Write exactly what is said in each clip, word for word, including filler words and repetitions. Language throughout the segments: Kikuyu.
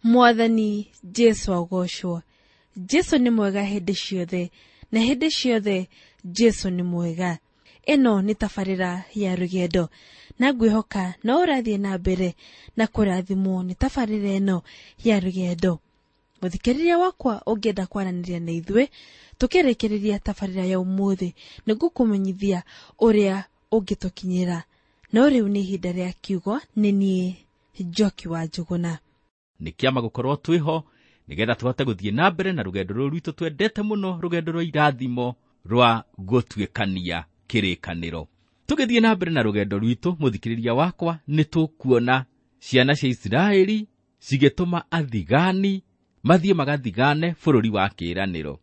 Mwathani Jesu agocwo. Jesu nĩ mwega hĩndĩ ciothe, na hĩndĩ ciothe Jesu nĩ mwega. Ĩno nĩ tabarĩra ya rũgendo, na ngwĩhoka no ũrathiĩ na mbere na kũrathimwo nĩ tabarĩra ĩno ya rũgendo. Mũthikĩrĩria wakwa, ũngĩenda kwaranĩria na ithuĩ tũkĩrĩkĩrĩria tabarĩra ya ũmũthĩ, nĩngũkũmenyithia ũrĩa ũngĩtũkinyĩra. No rĩu nĩ ihinda rĩa kiugo, nĩ niĩ Njoki wa Njũgũna. Nĩ kĩama gũkorwo twĩho nĩgetha tũhote gũthiĩ na mbere na rũgendo rũrũ rwitũ twendete mũno, rũgendo rwa irathimo rwa gũtuĩkania kĩrĩkanĩro. Tũgĩthiĩ na mbere na rũgendo rwitũ, mũthikĩrĩria wakwa, nĩ tũkuona ciana cia Isiraeli cigĩtũma athigani mathiĩ magathigane bũrũri wa kĩĩranĩro.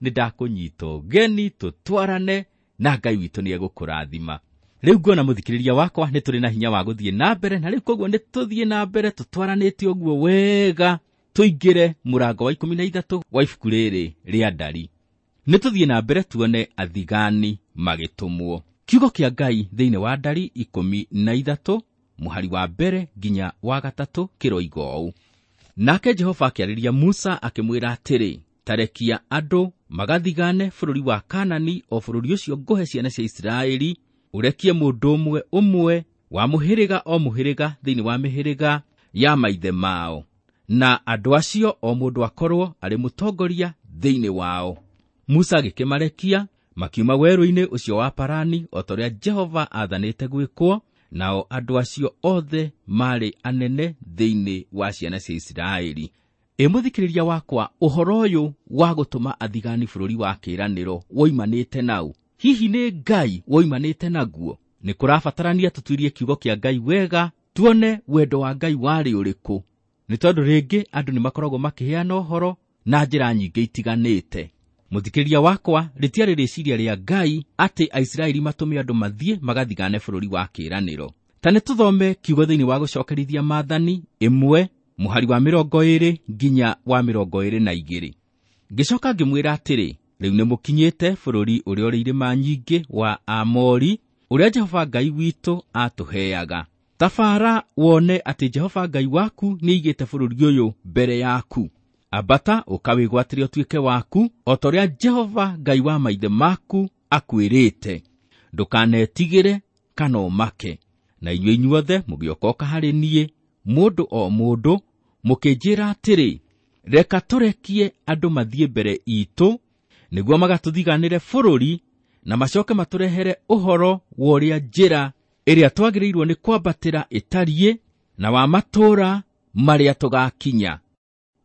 Nĩ ndakũnyita ũgeni tũtwarane na Ngai witũ nĩ egũkũrathima. Rĩu nguona mũthikĩrĩria wakwa nĩ tũrĩ na hinya wa gũthiĩ na mbere, na rĩu koguo nĩ tũthiĩ na mbere tũtwaranĩte ũguo wega tũingĩre mũrango wa ikũmi na ithatũ wa ibuku rĩrĩ rĩa Ndari. Nĩ tũthiĩ na mbere tuone athigani magĩtũmwo. Kiugo kĩa Ngai thĩinĩ wa Ndari ikũmi na ithatũ mũhari wa mbere nginya wa gatatũ kĩroiga ũũ: Nake Jehova akĩarĩria Musa akĩmwĩra atĩrĩ, tarekia andũ magathigane bũrũri wa Kanani, o bũrũri ũcio ngũhe ciana cia Isiraeli, ũrekie mũndũ ũmwe ũmwe wa mũhĩrĩga o mũhĩrĩga thĩinĩ wa mĩhĩrĩga ya maithe mao, na andũ acio o mũndũ akorwo arĩ mũtongoria thĩinĩ wao. Musa agĩkĩmarekia makiuma werũ-inĩ ũcio wa Parani, o ta ũrĩa Jehova aathanĩte gwĩkwo, nao andũ acio othe maarĩ anene thĩinĩ wa ciana cia Isiraeli. Ĩ mũthikĩrĩria wakwa, ũhoro ũyũ wa gũtũma athigani bũrũri wa kĩĩranĩro woimanĩte nau? Hihi nĩ Ngai woimanĩte naguo? Nĩ kũrabatarania tũtuirie kiugo kĩa Ngai wega, tuone wendo wa Ngai warĩ ũrĩkũ. Nĩ tondũ rĩngĩ andũ nĩ makoragwo makĩheana ũhoro na njĩra nyingĩ itiganĩte. Mũthikĩrĩria wakwa, rĩtiarĩ rĩciria rĩa Ngai atĩ Aisiraeli matũme andũ mathiĩ magathigane bũrũri wa kĩĩranĩro. Ta nĩ tũthome kiugo thĩinĩ wa gũcokerithia maathani ĩmwe mũhari wa mĩrongo ĩrĩ nginya wa mĩrongo ĩrĩ na igĩrĩ. Ngĩcoka ngĩmwĩra atĩrĩ, rĩu nĩ mũkinyĩte bũrũri ũrĩa ũrĩ irĩma nyingĩ wa Aamori, ũrĩa Jehova Ngai witũ atũheaga. Tabara wone atĩ Jehova Ngai waku nĩaigĩte bũrũri ũyũ mbere yaku. Ambata ũkawĩgwatĩre ũtuĩke waku, o ta ũrĩa Jehova Ngai wa maithe maku akwĩrĩte. Ndũkanetigĩre kana ũmake. Na inyuĩ inyuothe mũgĩokoka harĩ niĩ, mũndũ o mũndũ, mũkĩnjĩra atĩrĩ, reka tũrekie andũ mathiĩ mbere itũ, nĩguo magatũthiganĩre bũrũri, na macoke matũrehere ũhoro wa ũrĩa njĩra ĩrĩa twagĩrĩirwo nĩ kwambatĩra ĩtariĩ, na wa matũũra marĩa tũgakinya.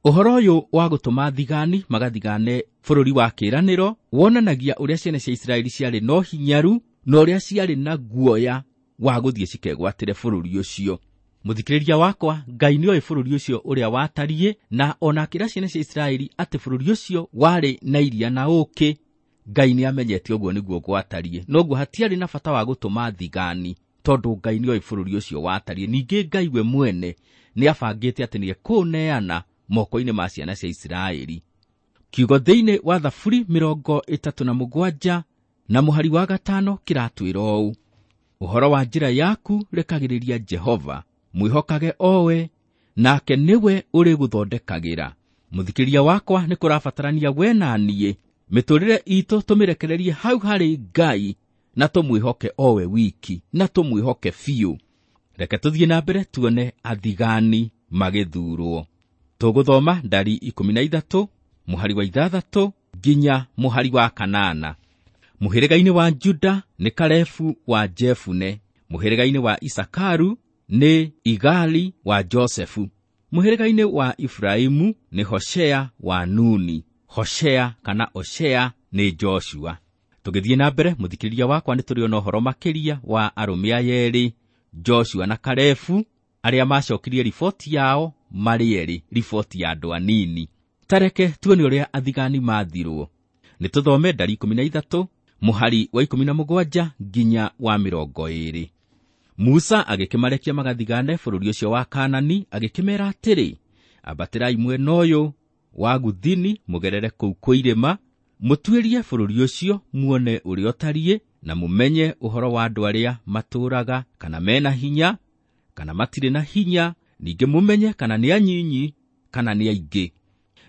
Ũhoro ũyũ wa gũtũma thigani magathigane bũrũri wa kĩĩranĩro wonanagia ũrĩa ciana cia Isiraeli ciarĩ na ũhinyaru na ũrĩa ciarĩ na guoya wa gũthiĩ cikegwatĩre bũrũri ũcio. Mũthikĩrĩria wakwa, Ngai nĩoĩ bũrũri ũcio ũrĩa watariĩ, na ona akĩra ciana cia Isiraeli atĩ bũrũri ũcio warĩ na iria na ũũkĩ, Ngai nĩamenyete ũguo nĩguo gwatariĩ. Noguo hatiarĩ na bata wa gũtũma thigani, tondũ Ngai nĩoĩ bũrũri ũcio watariĩ. Ningĩ Ngai we mwene nĩabangĩte atĩ nĩekũũneana moko-inĩ ma ciana cia Isiraeli. Kiugo thĩinĩ wa Thaburi mĩrongo ĩtatũ na mũgwanja na mũhari wa gatano kĩratwĩra ũũ: ũhoro wa njĩra yaku rekagĩrĩria Jehova, mwĩhokage owe, nake nĩwe ũrĩgũthondekagĩra. Mũthikĩrĩria wakwa, nĩ kũrabatarania we na niĩ mĩtũrĩre itũ tũmĩrekererie hau harĩ Ngai, na tũmwĩhoke owe wiki, na tũmwĩhoke biũ. Reke tũthiĩ na mbere tuone athigani magĩthurwo. Tũgũthoma Ndari ikũmi na ithatũ mũhari wa ithathatũ nginya mũhari wa kanana. Mũhĩrĩga-inĩ wa Juda nĩ Kalebu wa Jefune, mũhĩrĩga-inĩ wa Isakaru nĩ Igali wa Josefu, mũhĩrĩga-inĩ wa Efraimu nĩ Hoshea wa Nuni. Hoshea kana Oshea nĩ Joshua. Tũgĩthiĩ na mbere, mũthikĩrĩria wakwa, nĩ tũrĩona ũhoro makĩria wa arũme aya erĩ, Joshua na Kalebu, arĩa macokirie riboti yao marĩ erĩ, riboti ya andũ anini. Tareke tuone ũrĩa athigani mathirwo. Nĩ tũthome Ndari ikũmi na ithatũ mũhari wa ikũmi na mũgwanja nginya wa mĩrongo ĩrĩ. Musa agĩkĩmarekia magathigane bũrũri ũcio wa Kanani, agĩkĩmeera atĩrĩ, ambatĩrai mwena ũyũ wa Guthini mũgerere kũu kwĩ irĩma, mũtuĩrie bũrũri ũcio muone ũrĩa ũtariĩ, na mũmenye ũhoro wa andũ arĩa matũũraga, kana mena hinya, kana matirĩ na hinya, ningĩ mũmenye kana nĩ anyinyi kana nĩ aingĩ,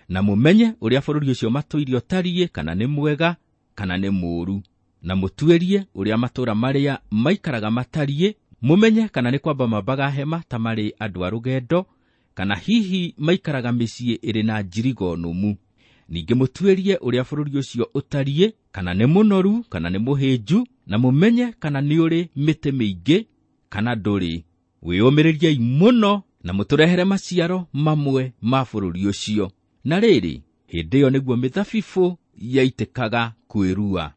na mũmenye ũrĩa bũrũri ũcio matũire ũtariĩ, kana nĩ mwega kana nĩ mũũru, na mũtuĩrie ũrĩa matũũra marĩa maikaraga matariĩ, mũmenye kana nĩ kwamba mambaga hema ta marĩ andũ a rũgendo, kana hihi maikaraga mĩciĩ ĩrĩ na njirigo nũmu. Ningĩ mũtuĩrie ũrĩa bũrũri ũcio ũtariĩ, kana nĩ mũnoru kana nĩ mũhĩnju, na mũmenye kana nĩ ũrĩ mĩtĩ mĩingĩ kana ndũrĩ. Wĩyũmĩrĩriei mũno na mũtũrehere maciaro mamwe ma bũrũri ũcio. Na rĩrĩ, hĩndĩ ĩyo nĩguo mĩthabibũ yaitĩkaga kwĩrua.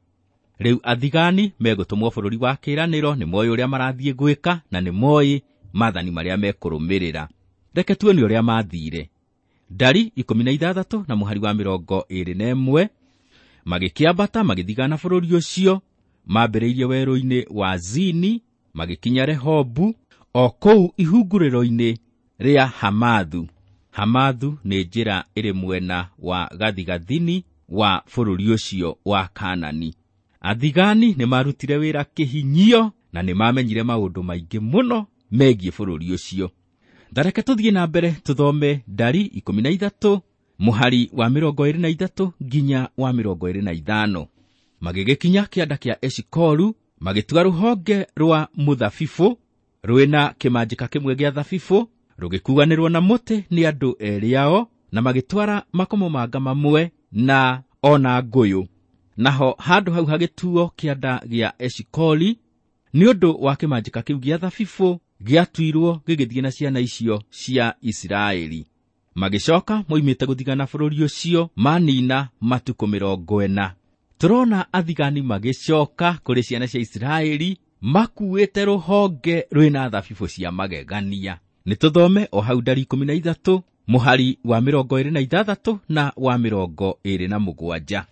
Rĩu athigani megũtũmwo bũrũri wa kĩĩranĩro, nĩ moĩ ũrĩa marathiĩ gwĩka na nĩ moĩ maathani marĩa mekũrũmĩrĩra. Reke tuone ũrĩa maathire. Ndari ikũmi na ithathatũ na mũhari wa mĩrongo ĩĩrĩ na ĩmwe, magĩkĩambata magĩthigana bũrũri ũcio, mambĩrĩirie werũ-inĩ wa Zini, magĩkinya Rehobu, o kũu ihungurĩro-inĩ rĩa Hamathu. Hamathu nĩ njĩra ĩrĩ mwena wa gathigathini wa bũrũri ũcio wa Kaanani. Athigani nĩ marutire wĩra kĩhinyio na nĩ mamenyire maũndũ maingĩ mũno megiĩ bũrũri ũcio. Thareke tũthiĩ na mbere tũthome Ndari ikũmi na ithatũ mũhari wa mĩrongo ĩĩrĩ na ithatũ nginya wa mĩrongo ĩĩrĩ na ithano. Magĩgĩkinya kĩanda kĩa Eshikolu, magĩtua rũhonge rwa mũthabibũ rwĩna kĩmanjĩka kĩmwe gĩa thabibũ, rũgĩkuanĩrwo na mũtĩ nĩ andũ erĩ ao, na magĩtwara makomamanga mamwe na ona ngũyũ. Naho handũ hau hagĩtuo kĩanda gĩa Eshikoli nĩ ũndũ wa kĩmanjĩka kĩu gĩa thabibũ gĩatuirwo gĩgĩthiĩ na ciana icio cia Isiraeli. Magĩcoka moimĩte gũthigana bũrũri ũcio manina matukũ mĩrongo ĩna. Tũrona athigani magĩcoka kũrĩ ciana cia Isiraeli makuĩte rũhonge rwĩna thabibũ cia magegania. Nĩ tũthome o hau Ndari ikũmi na ithatũ mũhari wa mĩrongo ĩĩrĩ na ithathatũ na wa mĩrongo ĩĩrĩ na mũgwanja.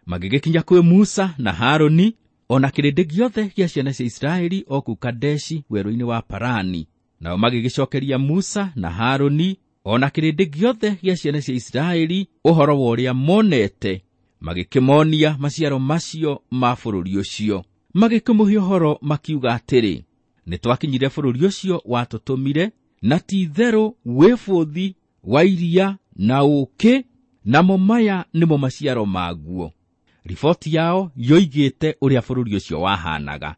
Magĩgĩkinya kwĩ Musa na Harũni o na kĩrĩndĩ gĩothe gĩa ciana cia Isiraeli o kũu Kadeshi werũ-inĩ wa Parani. Nao magĩgĩcokeria Musa na Harũni o na kĩrĩndĩ gĩothe gĩa ciana cia Isiraeli ũhoro wa ũrĩa monete, magĩkĩmonia maciaro macio ma bũrũri ũcio. Magĩkĩmũhe ũhoro makiuga atĩrĩ, nĩ twakinyire bũrũri ũcio watũtũmire, na ti-itherũ wĩ bũthi wa iria na ũũkĩ, namo maya nĩmo maciaro maguo. Riboti yao yoigĩte ũrĩa bũrũri ũcio wahanaga,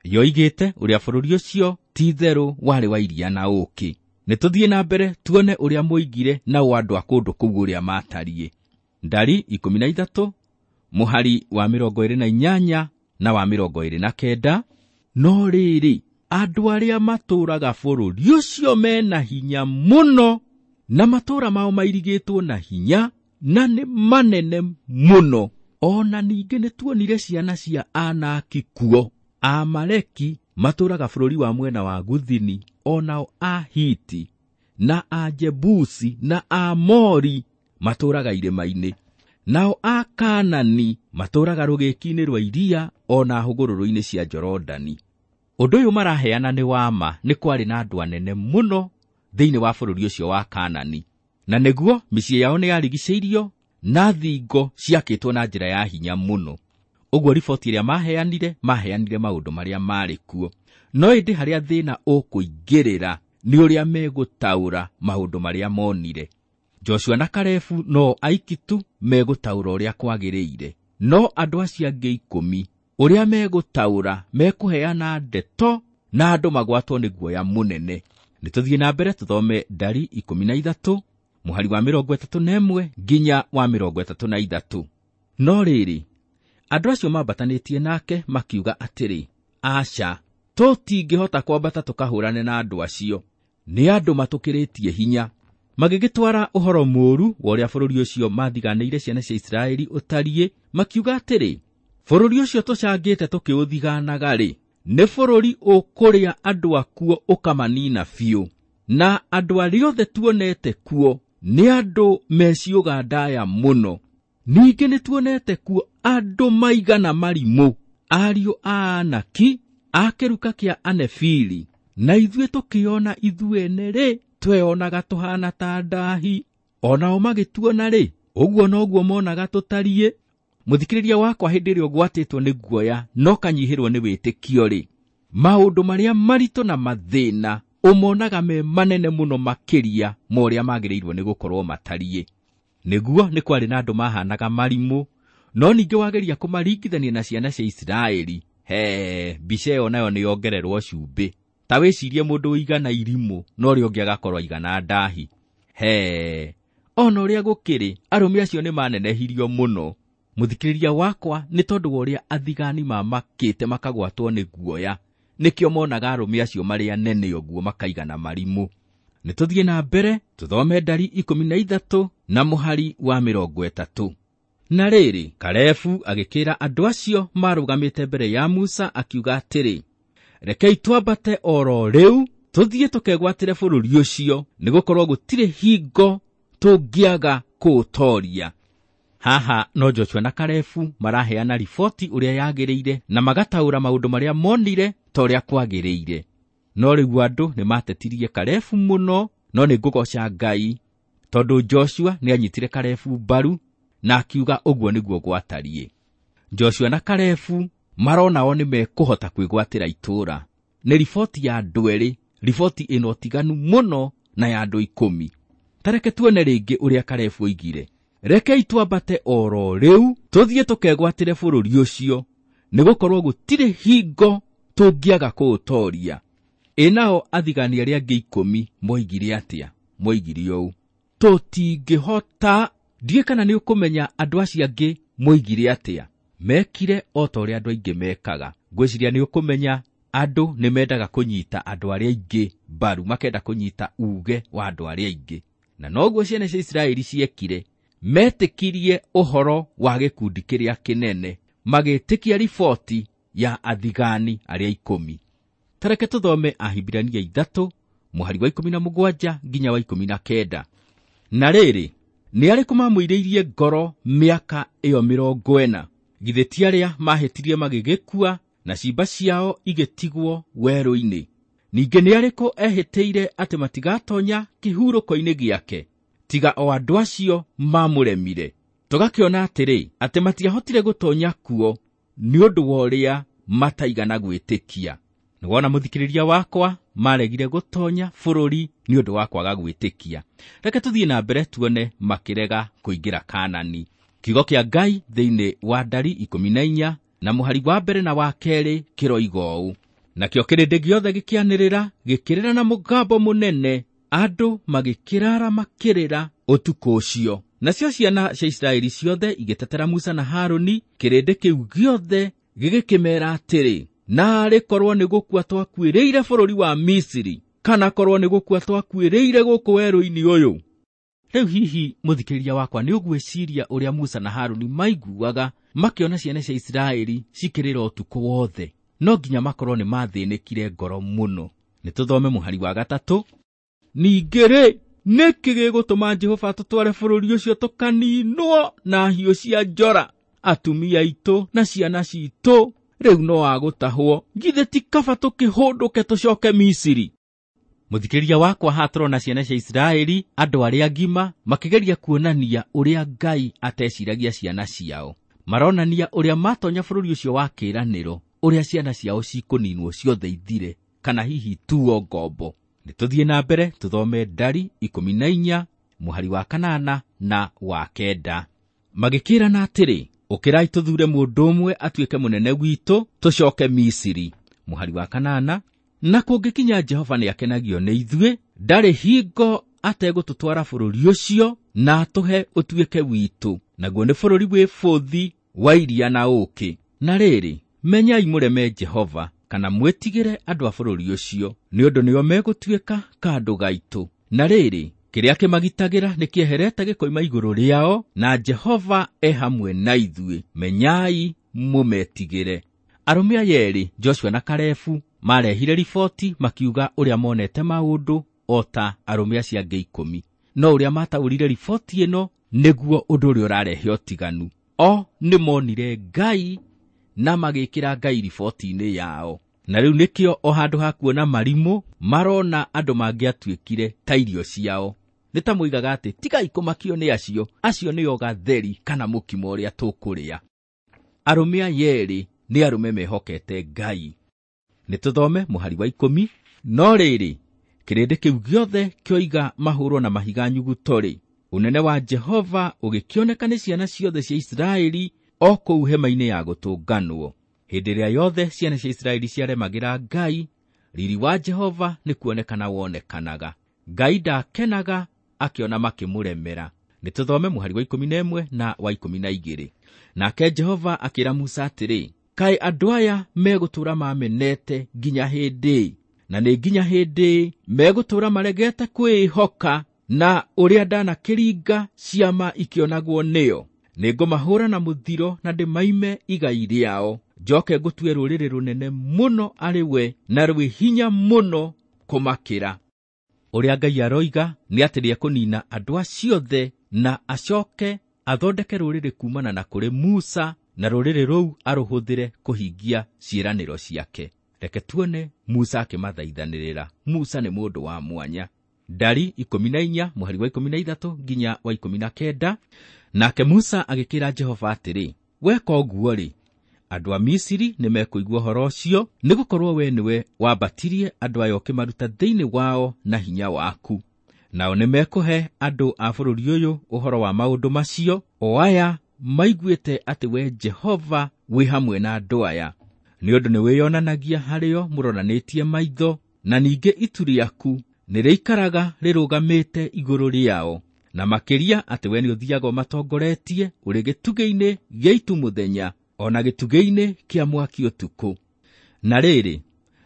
yoigĩte ũrĩa bũrũri ũcio ti-itherũ warĩ wa iria na ũũkĩ. Nĩ tũthiĩ na mbere tuone ũrĩa moigire nao andũ a kũndũ kũu ũrĩa matariĩ. Ndari ikũmi na ithatũ mũhari wa mĩrongo ĩĩrĩ na inyanya na wa mĩrongo ĩĩrĩ na kenda. No rĩrĩ, andũ arĩa matũũraga bũrũri ũcio mena hinya mũno, na matũũra mao mairigĩtwo na hinya, na nĩ manene mũno. Ona ningĩ nĩ tuonire ciana cia Anaki kuo. Amaleki matũũraga bũrũri wa mwena wa Guthini, onao Ahiti na Ajebusi na Aamori matũũraga irĩma-inĩ, nao Akaanani matũũraga rũgĩki-inĩ rwa iria ona hũgũrũrũ-inĩ cia Jorodani. Ũndũ ũyũ maraheana nĩ wa ma, nĩ kwarĩ na andũ anene mũno thĩinĩ wa bũrũri ũcio wa Kaanani, na nĩguo mĩciĩ yao nĩ yarigicĩirio na thingo ciakĩtwo na njĩra ya hinya mũno. Ũguo riboti ĩrĩa maheanire, maheanire maũndũ marĩa marĩ kuo. No ĩndĩ harĩa thĩna ũkũingĩrĩra nĩ ũrĩa megũtaũra maũndũ marĩa monire. Joshua na Kalebu no aiki tu megũtaũra ũrĩa kwagĩrĩire, no andũ acio angĩ ikũmi ũrĩa megũtaũra mekũheana ndeto na andũ magwatwo nĩ guoya mũnene. Nĩ tũthiĩ na mbere tũthome Ndari ikũmi na ithatũ mũhari wa mĩrongo ĩtatũ na ĩmwe nginya wa mĩrongo ĩtatũ na ithatũ. No rĩrĩ, andũ acio mambatanĩtie nake makiuga atĩrĩ, aca, tũtingĩhota kwambata tũkahũrane na andũ acio, nĩ andũ matũkĩrĩtie hinya. Magĩgĩtwara ũhoro mũũru wa ũrĩa bũrũri ũcio mathiganĩire ciana cia Isiraeli ũtariĩ, makiuga atĩrĩ, bũrũri ũcio tũcangĩte tũkĩũthiganaga-rĩ, nĩ bũrũri ũkũrĩa andũ akuo ũkamanina biũ, na andũ arĩa othe tuonete kuo nĩ andũ meciũga ndaya mũno. Ningĩ nĩ tuonete kuo andũ maigana marimũ, ariũ a Anaki, a kĩruka kĩa Anefili, na ithuĩ tũkĩona ithuene-rĩ, tweonaga tũhana ta ndahi, onao magĩtuona-rĩ, ũguo noguo monaga tũtariĩ. Mũthikĩrĩria wakwa, hĩndĩ ĩrĩa ũgwatĩtwo nĩ guoya no kanyihĩrwo nĩ wĩtĩkio-rĩ, maũndũ marĩa maritũ na mathĩna Ũmonaga me manene mũno makĩria ma ũrĩa magĩrĩirwo nĩ gũkorwo matariĩ. Nĩguo nĩ kwarĩ na andũ mahanaga marimũ, no ningĩ wageria kũmaringithania na ciana cia Isiraeli, he mbica ĩyo nayo nĩ yongererwo cumbĩ. Ta wĩcirie mũndũ ũigana irimũ na ũrĩa ũngĩ agakorwo aigana ndahi. He ona ũrĩa gũkĩrĩ, arũme acio nĩ manenehirio mũno. Mũthikĩrĩria wakwa, nĩ tondũ wa ũrĩa athigani mamakĩte makagwatwo nĩ guoya, nĩkĩo monaga arũme acio marĩ anene ũguo makaigana marimũ. Nĩ tũthiĩ na mbere tũthome ndari ikũmi na ithatũ na mũhari wa mĩrongo ĩtatũ. Na rĩrĩ, Kalebu agĩkĩra andũ acio marũgamĩte mbere ya Musa akiuga atĩrĩ, rekei twambate oro rĩu tũthiĩ tũkegwatĩre bũrũri ũcio, nĩgũkorwo gũtirĩ hingo tũngĩaga kũũtoria. Haha no Joshua na Kalebu maraheana riboti ũrĩa yagĩrĩire na magataũra maũndũ marĩa monire ta ũrĩa kwagĩrĩire. No rĩu andũ nĩ matetirie Kalebu mũno, no nĩ ngũgoca Ngai tondũ Joshua nĩ anyitire Kalebu mbaru na akiuga ũguo nĩguo gwatariĩ. Joshua na Kalebu marona o nĩ mekũhota kwĩgwatĩra itũũra. Nĩ riboti ya andũ erĩ, riboti ĩna ũtiganu mũno na ya andũ ikũmi. Ta reke tuone rĩngĩ ũrĩa Kalebu oigire. Rekei twambate oro rĩu tũthiĩ tũkegwatĩre bũrũri ũcio, nĩgũkorwo gũtirĩ hingo tũngĩaga kũũtoria. Ĩ nao athigani arĩa angĩ ikũmi moigire atĩa? Moigire ũũ, tũtingĩhota. Ndiũĩ kana nĩ ũkũmenya andũ acio angĩ moigire atĩa. Mekire o ta ũrĩa andũ aingĩ mekaga. Ngwĩciria nĩ ũkũmenya andũ nĩ mendaga kũnyita andũ arĩa aingĩ mbaru, makenda kũnyita uge wa andũ arĩa aingĩ. Na noguo ciana cia Isiraeli ciekire. Metĩkirie ũhoro wa gĩkundi kĩrĩa kĩnene, magĩtĩkia riboti ya athigani arĩa ikũmi. Ta reke tũthome Ahibirania ithatũ mũhari wa ikũmi na mũgwanja nginya wa ikũmi na kenda. Na rĩrĩ, nĩ arĩkũ mamũirĩirie ngoro mĩaka ĩyo mĩrongo ĩna? Githĩ ti arĩa mahĩtirie magĩgĩkua na ciimba ciao igĩtigwo werũ-inĩ? Ningĩ nĩ arĩkũ ehĩtĩire atĩ matigatonya kĩhurũko-inĩ gĩake, tiga o andũ acio mamũremire? Tũgakĩona atĩrĩ, atĩ matiahotire gũtonya kuo nĩ ũndũ wa ũrĩa mataigana gwĩtĩkia. Nĩwona mũthikĩrĩria wakwa, maregire gũtonya bũrũri nĩ ũndũ wa kwaga gwĩtĩkia. Reke tũthiĩ na mbere tuone makĩrega kũingĩra Kanani. Kiugo kĩa Ngai thĩinĩ wa ndari ikũmi na inya na mũhari wa mbere na wa kerĩ kĩroiga ũũ, nakĩo kĩrĩndĩ gĩothe gĩkĩanĩrĩra gĩkĩrĩra na mũgambo mũnene, andũ magĩkĩrara makĩrĩra ũtukũ ũcio. Nacio ciana cia Isiraeli ciothe igĩtetera Musa na Harũni, kĩrĩndĩ kĩu gĩothe gĩgĩkĩmeera atĩrĩ, naarĩ korwo nĩ gũkua twakuĩrĩire bũrũri wa Misiri, kana korwo nĩ gũkua twakuĩrĩire gũkũ werũ-inĩ ũyũ. Rĩu hihi mũthikĩrĩria wakwa nĩ ũgwĩciria ũrĩa Musa na Harũni maiguaga makĩona ciana cia Isiraeli cikĩrĩra ũtukũ wothe? No nginya makorwo nĩ mathĩnĩkire ngoro mũno. Nĩ tũthome mũhari wa gatatũ. Ningĩ rĩ, nĩkĩ gĩgũtũma Jehova atũtware bũrũri ũcio tũkaninwo na hiũ cia njora? Atumia aitũ na ciana citũ rĩu no agũtahwo. Githĩ ti kaba tũkĩhũndũke tũcoke Misiri? Mũthikĩrĩria wakwa, haha tũrona ciana cia Isiraeli, andũ arĩa agima, makĩgeria kuonania ũrĩa Ngai ateciragia ciana ciao. Maronania ũrĩa matonya bũrũri ũcio wa kĩĩranĩro, ũrĩa ciana ciao cikũninwo ciothe ithire, kana hihi tuo ngombo. Nĩ tũthiĩ na mbere tũthome ndari ikũmi na inya mũhari wa kanana na wa kenda. Magĩkĩrana atĩrĩ, ũkĩrai tũthure mũndũ ũmwe atuĩke mũnene witũ, tũcoke Misiri. Mũhari wa kanana, na kũngĩkinya Jehova nĩakenagio nĩ ithuĩ, ndarĩ hingo ategũtũtwara bũrũri ũcio na atũhe ũtuĩke witũ, naguo nĩ bũrũri wĩ bũthi wa iria na ũũkĩ. Na rĩrĩ, menyai mũreme Jehova, kana mwĩtigĩre andũ a bũrũri ũcio, nĩ ũndũ nĩo megũtuĩka kandũ gaitũ. Na rĩrĩ, kĩrĩa kĩmagitagĩra nĩ kĩeherete gĩkoima igũrũ rĩao, na Jehova e hamwe na ithuĩ. Menyai mũmetigĩre. Arũme aya erĩ, Joshua na Kalebu, marehire riboti makiuga ũrĩa monete maũndũ o ta arũme acio angĩ ikũmi. No ũrĩa mataũrire riboti ĩno nĩguo ũndũ ũrĩa ũrarehe ũtiganu. O nĩ monire Ngai na magĩkĩra Ngai riboti-inĩ yao. Na rĩu nĩkĩo o handũ ha kuona marimũ marona andũ mangĩatuĩkire ta irio ciao. Nĩ ta moigaga atĩ tigai kũmakio nĩ acio, acio nĩo gatheri kana mũkimo ũrĩa tũkũrĩa. Arũme aya erĩ nĩ arũme mehokete Ngai. Nĩ tũthome mũhari wa ikũmi. No rĩrĩ, Kĩrĩndĩ kĩu gĩothe kĩoiga mahũrwo na mahiga nyuguto-rĩ, ũnene wa Jehova ũgĩkĩoneka nĩ ciana ciothe cia Isiraeli o kũu hema-inĩ ya gũtũnganwo. Hĩndĩ ĩrĩa yothe ciana cia Isiraeli ciaremagĩra Ngai, riri wa Jehova nĩ kuonekana wonekanaga. Ngai ndakenaga akĩona makĩmũremera. Nĩ tũthome mũhari wa ikũmi na ĩmwe na wa ikũmi na igĩrĩ. Nake Jehova akĩra Musa atĩrĩ, kaĩ andũ aya megũtũũra mamenete nginya hĩndĩ? Na nĩ nginya hĩndĩ megũtũũra maregete kwĩĩhoka na ũrĩa ndanakĩringa ciama ikĩonagwo nĩo? Nĩngũmahũũra na mũthiro na ndĩmaime igai rĩao, njoke ngũtue rũrĩrĩ rũnene mũno arĩ we na rwĩ hinya mũno kũmakĩra. Ũrĩa Ngai aroiga nĩ atĩ nĩekũnina andũ acio othe na acoke athondeke rũrĩrĩ kumana na kũrĩ Musa, na rũrĩrĩ rũu arũhũthĩre kũhingia ciĩranĩro ciake. Reke tuone Musa akĩmathaithanĩrĩra. Musa nĩ mũndũ wa mwanya. Ndari ikũmi na inya mũhari wa ikũmi na ithatũ nginya wa ikũmi na kenda. Nake Musa agĩkĩra Jehova atĩrĩ, weka ũguo-rĩ, andũ a Misiri nĩmekũigua ũhoro ũcio, nĩgũkorwo we nĩwe wambatirie andũ aya ũkĩmaruta thĩinĩ wao na hinya waku. Nao nĩmekũhe andũ a bũrũri ũyũ ũhoro wa maũndũ macio, o aya maiguĩte atĩ we Jehova wĩ hamwe na andũ aya. Nĩ ũndũ nĩwĩyonanagia harĩo mũroranĩtie maitho, na ningĩ itu rĩaku nĩrĩikaraga rĩrũgamĩte igũrũ rĩao, na makĩria atĩ we nĩũthiaga ũmatongoretie ũrĩ gĩtugĩ-inĩ gĩa itu mũthenya, o na gĩtugĩ-inĩ kĩa mwaki ũtukũ. Na rĩrĩ,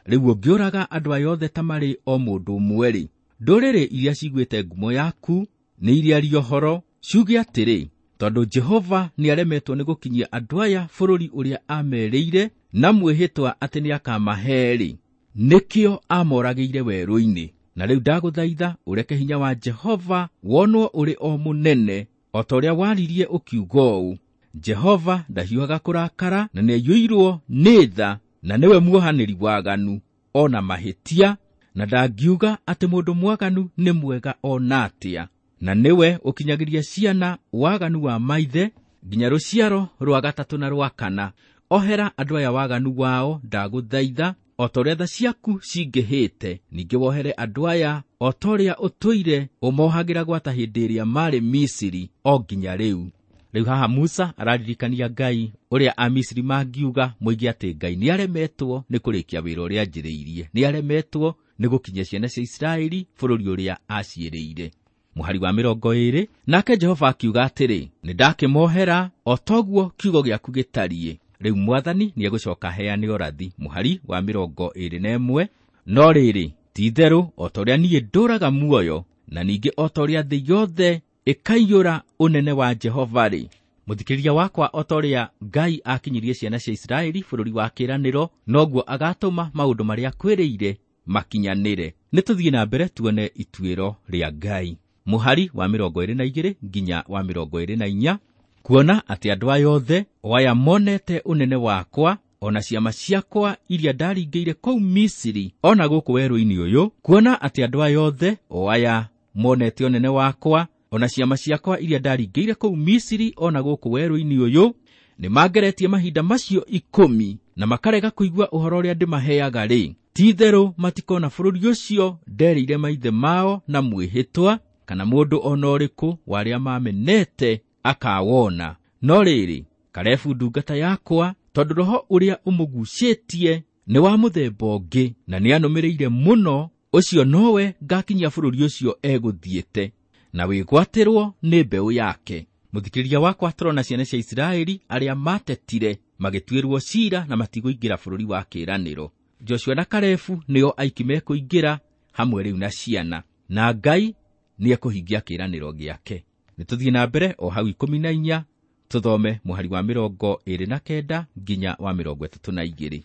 rĩu ũngĩũraga andũ aya othe ta marĩ o mũndũ ũmwe-rĩ, ndũrĩrĩ iria ciguĩte ngumo yaku nĩ iria ũhoro ciuge atĩrĩ, tondũ Jehova nĩaremetwo nĩ gũkinyia andũ aya bũrũri ũrĩa amerĩire na mwĩhĩtwa atĩ nĩakamahe-rĩ, nĩkĩo amoragĩire werũ-inĩ. Na rĩu ndagũthaitha ũreke hinya wa Jehova wonwo ũrĩ o mũnene, o ta ũrĩa waririe ũkiuga ũũ, Jehova ndahiũhaga kũrakara na nĩaiyũirwo nĩ tha, na nĩwe muohanĩri waganu o na mahĩtia, na ndangiuga atĩ mũndũ mwaganu nĩ mwega o na atĩa, na nĩwe ũkinyagĩria ciana waganu wa maithe nginya rũciaro rwa gatatũ na rwa kana. Ohera andũ aya waganu wao, ndagũthaitha, o ta ũrĩa tha ciaku cingĩhĩte, ningĩ wohere andũ aya o ta ũrĩa ũtũire ũmohagĩra gwata hĩndĩ ĩrĩa marĩ Misiri o nginya rĩu. Rĩu haha Musa araririkania Ngai ũrĩa Amisiri mangiuga moige atĩ Ngai nĩaremetwo nĩ kũrĩkia wĩra ũrĩa anjĩrĩirie, nĩaremetwo nĩ gũkinyia ciana cia Isiraeli bũrũri ũrĩa aciĩrĩire. Mũhari wa mĩrongo ĩĩrĩ, nake Jehova akiuga atĩrĩ, nĩndakĩmohera o toguo kiugo gĩaku gĩtariĩ. Rĩu mwathani nĩegũcoka aheane ũrathi. Mũhari wa mĩrongo ĩĩrĩ na ĩmwe, no rĩrĩ, ti-itherũ o ta ũrĩa niĩ ndũũraga muoyo, na ningĩ o ta ũrĩa thĩ yothe ĩkaiyũra ũnene wa Jehova-rĩ, mũthikĩrĩria wakwa, o ta ũrĩa Ngai akinyirie ciana cia Isiraeli bũrũri wa kĩĩranĩro, noguo agatũma maũndũ marĩa akwĩrĩire makinyanĩre. Nĩ tũthiĩ na mbere tuone ituĩro rĩa Ngai. Mũhari wa mĩrongo ĩĩrĩ na igĩrĩ nginya wa mĩrongo ĩĩrĩ na inya, kuona atĩ andũ aya othe o aya monete ũnene wakwa o na ciama ciakwa iria ndaringĩire kũu Misiri o na gũkũ werũ-inĩ ũyũ, kuona atĩ andũ aya othe o aya monete ũnene wakwa o na ciama ciakwa iria ndaringĩire kũu Misiri o na gũkũ werũ-inĩ ũyũ, nĩmangeretie mahinda macio ikũmi na makarega kũigua ũhoro ũrĩa ndĩmaheaga-rĩ, ti-itherũ matikona bũrũri ũcio nderĩire maithe mao na mwĩhĩtwa, kana mũndũ o na ũrĩkũ wa arĩa mamenete akawona. No rĩrĩ, Kalebu ndungata yakwa, tondũ roho ũrĩa ũmũgucĩtie nĩ wa mũthemba ũngĩ na nĩanũmĩrĩire mũno, ũcio nowe ngakinyia bũrũri ũcio egũthiĩte, na wĩgwatĩrwo nĩ mbeũ yake. Mũthikĩrĩria wakwa, tũrona ciana cia Isiraeli arĩa matetire magĩtuĩrwo ciira na matigũingĩra bũrũri wa kĩĩranĩro. Joshua na Kalebu nĩo aiki mekũingĩra hamwe rĩu na ciana, na Ngai nĩekũhingia kĩĩranĩro gĩake. Nĩ tũthiĩ na mbere o hau ikũmi na inya, tũthome mũhari wa mĩrongo ĩĩrĩ na kenda nginya wa mĩrongo ĩtatũ na igĩrĩ.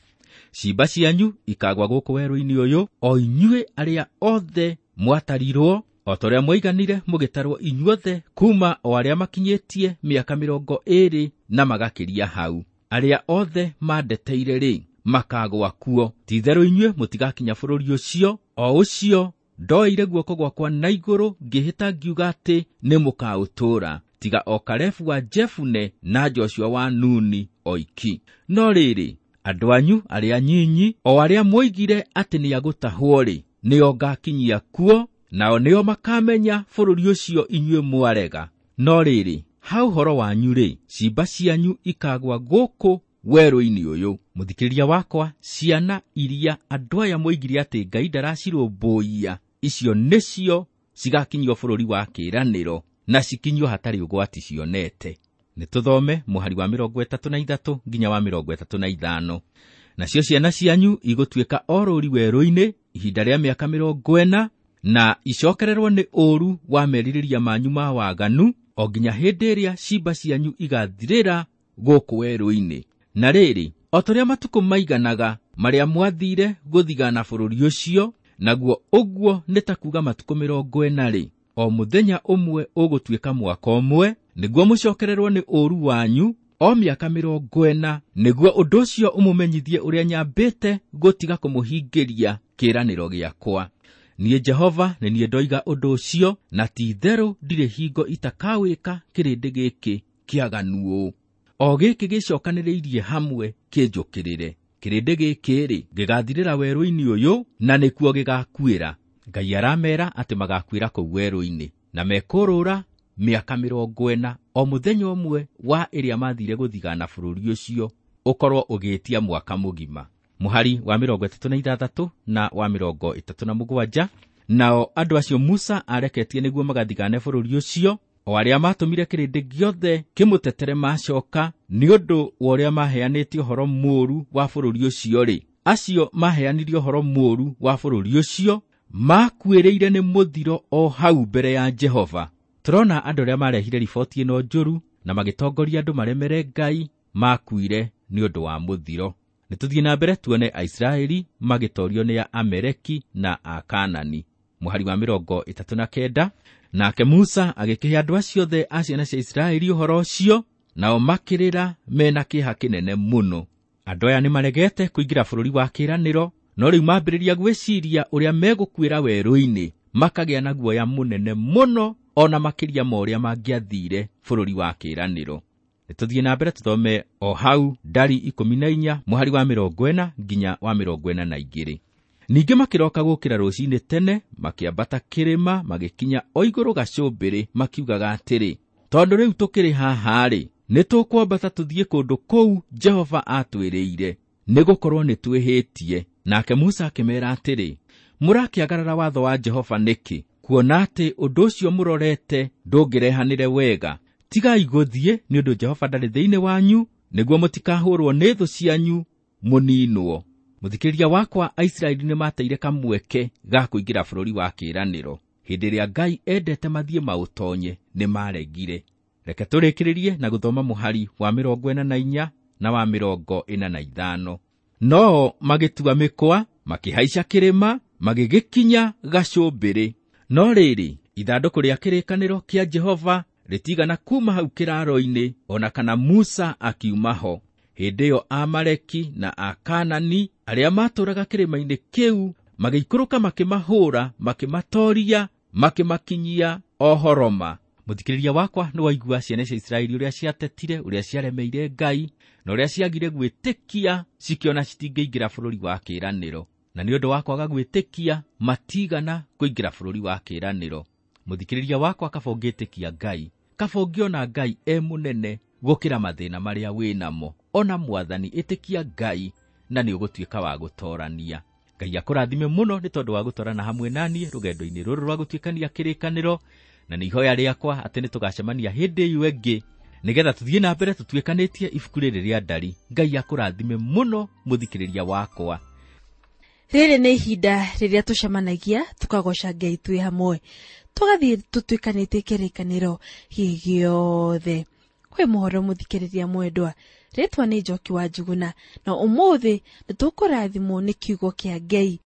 Ciimba cianyu ikagwa gũkũ werũ-inĩ ũyũ, o inyuĩ arĩa othe mwatarirwo, o ta ũrĩa mwaiganire mũgĩtarwo inyuothe, kuma o arĩa makinyĩtie mĩaka mĩrongo ĩĩrĩ na magakĩria hau. Arĩa othe mandeteire-rĩ, makagwa kuo. Ti-itherũ inyuĩ mũtigakinya bũrũri ũcio, o ũcio ndoeire guoko gwakwa na igũrũ ngĩhĩta ngiuga atĩ nĩmũkaũtũũra, tiga o Kalebu wa Jefune na Joshua wa Nuni oiki. No rĩrĩ, andũ anyu arĩa anyinyi, o arĩa mwoigire atĩ nĩagũtahwo-rĩ, nĩo ngakinyia kuo, nao nĩo makamenya bũrũri ũcio inyuĩ mwarega. No rĩrĩ, ha ũhoro wanyu-rĩ, ciimba cianyu ikagwa gũkũ werũ-inĩ ũyũ. Mũthikĩrĩria wakwa, ciana iria andũ aya moigire atĩ Ngai ndaracirũmbũiya, icio nĩcio cigakinyio bũrũri wa kĩĩranĩro na cikinyio hatarĩ ũgwati cionete. Nĩ tũthome mũhari wa mĩrongo ĩtatũ na ithatũ nginya wa mĩrongo ĩtatũ na ithano. Nacio ciana cianyu igũtuĩka o rũũri werũ-inĩ ihinda rĩa mĩaka mĩrongo ĩna, na icokererwo nĩ ũũru wa merirĩria manyu ma waganu o nginya hĩndĩ ĩrĩa ciimba cianyu igathirĩra gũkũ werũ-inĩ. Na rĩrĩ, o ta ũrĩa matukũ maiganaga marĩa mwathire gũthigana bũrũri ũcio, naguo ũguo nĩ ta kuuga matukũ mĩrongo ĩna-rĩ, o mũthenya ũmwe ũgũtuĩka mwaka ũmwe, nĩguo mũcokererwo nĩ ũũru wanyu o mĩaka mĩrongo ĩna, nĩguo ũndũ ũcio ũmũmenyithie ũrĩa nyambĩte gũtiga kũmũhingĩria kĩĩranĩro gĩakwa. Niĩ Jehova nĩ niĩ ndoiga ũndũ ũcio, na ti-itherũ ndirĩ hingo itakawĩka kĩrĩndĩ gĩkĩ kĩaganu ũũ, o gĩkĩ gĩcokanĩrĩirie hamwe kĩnjũkĩrĩre. Kĩrĩndĩ gĩkĩ-rĩ, gĩgathirĩra werũ-inĩ ũyũ, na nĩkuo gĩgakuĩra. Ngai aramera atĩ magakuĩra kũu werũ-inĩ, na mekũrũra mĩaka mĩrongo ĩna, o mũthenya ũmwe wa ĩrĩa mathire gũthigana bũrũri ũcio ũkorwo ũgĩtia mwaka mũgima. Mũhari wa mĩrongo ĩtatũ na ithathatũ na wa mĩrongo ĩtatũ na mũgwanja. Nao andũ acio Musa areketie nĩguo magathigane bũrũri ũcio, o arĩa matũmire kĩrĩndĩ gĩothe kĩmũtetere macoka nĩ ũndũ wa ũrĩa maheanĩte ũhoro mũũru wa bũrũri ũcio-rĩ, acio maheanire ũhoro mũũru wa bũrũri ũcio makuĩrĩire nĩ mũthiro o hau mbere ya Jehova. Tũrona andũ arĩa marehire riboti ĩno njũru na magĩtongoria andũ maremere Ngai makuire nĩ ũndũ wa mũthiro. Nĩ tũthiĩ na mbere tuone Aisiraeli magĩtorio nĩ Ameleki na Akanani. Mũhari wa mĩrongo ĩtatũ na kenda. Nake Musa agĩkĩhe andũ acio othe a ciana cia Isiraeli ũhoro ũcio, nao makĩrĩra mena kĩeha kĩnene mũno. Andũ aya nĩmaregete kũingĩra bũrũri wa kĩĩranĩro, no rĩu mambĩrĩria gwĩciria ũrĩa megũkuĩra werũ-inĩ, makagĩa na guoya mũnene mũno ona makĩria ma ũrĩa mangĩathire bũrũri wa kĩĩranĩro. Nĩ tũthiĩ na mbere tũthome o hau ndari ikũmi na inya mũhari wa mĩrongo ĩna nginya wa mĩrongo ĩna na igĩrĩ. Ningĩ makĩroka gũkĩra rũcinĩ tene, makĩambata kĩrĩma, magĩkinya o igũrũ gacũmbĩrĩ, makiugaga atĩrĩ, tondũ rĩu tũkĩrĩ haha-rĩ, nĩ tũkwambata tũthiĩ kũndũ kũu Jehova atwĩrĩire, nĩgũkorwo nĩ twĩhĩtie. Nake Musa akĩmeera atĩrĩ, mũrakĩagarara watho wa Jehova nĩkĩ, kuona atĩ ũndũ ũcio mũrorete ndũngĩrehanĩre wega? Tigai gũthiĩ, nĩ ũndũ Jehova ndarĩ thĩinĩ wanyu, nĩguo mũtikahũrwo nĩ thũ cianyu mũninwo. Mũthikĩrĩria wakwa, Aisiraeli nĩmateire kamweke ga kũingĩra bũrũri wa kĩĩranĩro. Hĩndĩ ĩrĩa Ngai endete mathiĩ maũtonye, nĩmaregire. Reke tũrĩkĩrĩrie na gũthoma mũhari wa mĩrongo ĩna na inya na wa mĩrongo ĩna na ithano. No magĩtua mĩkwa, makĩhaica kĩrĩma, magĩgĩkinya gacũmbĩrĩ. No rĩrĩ, ithandũkũ rĩa kĩrĩkanĩro kĩa Jehova rĩtigana kuma hau kĩraaro-inĩ, ona kana Musa akiuma ho. Hĩndĩ ĩyo Amaleki na Akanani arĩa maatũũraga kĩrĩma-inĩ kĩu magĩikũrũka makĩmahũũra, makĩmatooria, makĩmakinyia o Horoma. Mũthikĩrĩria wakwa, nĩ waigua ciana cia Isiraeli ũrĩa ciatetire, ũrĩa ciaremeire Ngai, na ũrĩa ciagire gwĩtĩkia cikĩona citingĩingĩra bũrũri wa kĩĩranĩro. Na nĩ ũndũ wa kwaga gwĩtĩkia matigana kũingĩra bũrũri wa kĩĩranĩro. Mũthikĩrĩria wakwa, kaba ũngĩtĩkia Ngai, kaba ũngĩona Ngai e mũnene gũkĩra mathĩna marĩa wĩnamo. Ona Mwathani, ĩtĩkia Ngai na nĩ ũgũtuĩka wa gũtoorania. Ngai akũrathime mũno nĩ tondũ wa gũtoorana hamwe naniĩ rũgendo-inĩ rũrũ rwa gũtuĩkania kĩrĩkanĩro, na nĩ ihoya rĩakwa atĩ nĩ tũgacemania hĩndĩ ĩyo ĩngĩ nĩgetha tũthiĩ na mbere tũtuĩkanĩtie ibuku rĩrĩ rĩa ndari. Ngai akũrathime mũno mũthikĩrĩria wakwa. Rĩrĩ nĩ ihinda rĩrĩa tũcemanagia tũkagoca Ngai twĩ hamwe, tũgathiĩ tũtuĩkanĩtie kĩrĩkanĩro gĩothe. Kwĩ mũhoro mũthikĩrĩria mwendwa, rĩtwa nĩ Njoki wa Njuguna, na ũmũthĩ nĩ tũkũrathimwo nĩ kiugo kĩa Ngai